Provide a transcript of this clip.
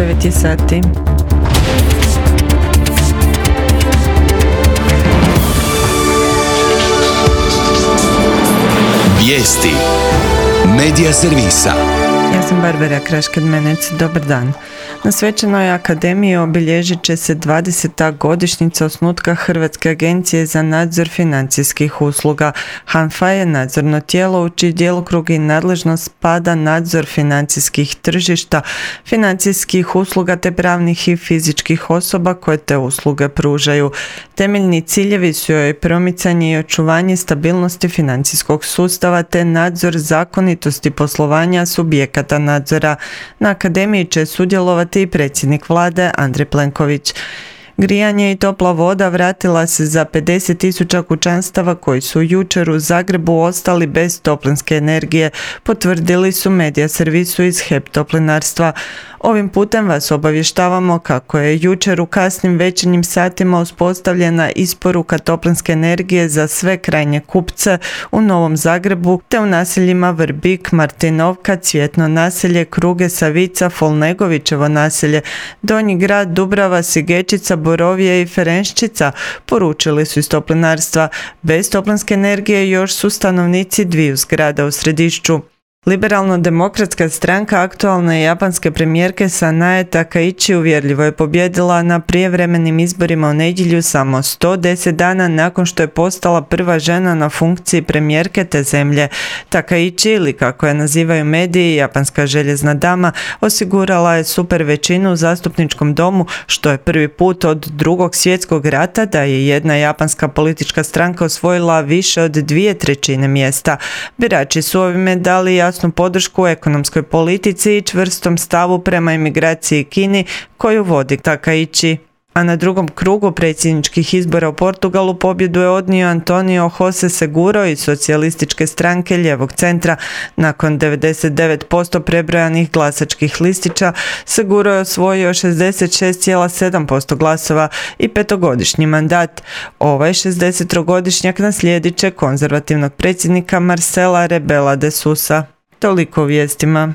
9 je sati. Vijesti Medija servisa. Ja sam Barbara Krašked-Menec, dobar dan. Na Svečanoj akademiji obilježit će se 20. godišnjica osnutka Hrvatske agencije za nadzor financijskih usluga. HANFA je nadzorno tijelo u čiji djelokrug i nadležnost spada nadzor financijskih tržišta, financijskih usluga te pravnih i fizičkih osoba koje te usluge pružaju. Temeljni ciljevi su joj promicanje i očuvanje stabilnosti financijskog sustava te nadzor zakonitosti poslovanja subjekata nadzora. Na akademiji će sudjelovati i predsjednik vlade Andrej Plenković. Grijanje i topla voda vratila se za 50.000 kućanstava koji su jučer u Zagrebu ostali bez toplinske energije, potvrdili su Medija servisu iz HEP Toplinarstva. Ovim putem vas obavještavamo kako je jučer u kasnim večernjim satima uspostavljena isporuka toplinske energije za sve krajnje kupce u Novom Zagrebu te u naseljima Vrbik, Martinovka, Cvjetno naselje, Kruge, Savica, Folnegovićevo naselje, Donji grad, Dubrava, Sigečica, Borovije i Ferenščica, poručili su iz Toplinarstva. Bez toplinske energije još su stanovnici dviju zgrada u Središću. Liberalno-demokratska stranka aktualne japanske premijerke Sanae Takaichi uvjerljivo je pobijedila na prijevremenim izborima u nedjelju samo 110 dana nakon što je postala prva žena na funkciji premijerke te zemlje. Takaichi, ili kako je nazivaju mediji, japanska željezna dama, osigurala je super većinu u zastupničkom domu, što je prvi put od Drugog svjetskog rata da je jedna japanska politička stranka osvojila više od 2/3 mjesta. Birači su ovime dali jasnu podršku ekonomskoj politici i čvrstom stavu prema imigraciji Kini koju vodi Takaichi. A na drugom krugu predsjedničkih izbora u Portugalu pobjedu je odnio Antonio José Seguro iz socijalističke stranke lijevog centra. Nakon 99% prebrojanih glasačkih listića, Seguro je osvojio 66,7% glasova i 5-godišnji mandat. Ovaj 63-godišnjak naslijedit će konzervativnog predsjednika Marcela Rebela de Sousa. Toliko u vijestima.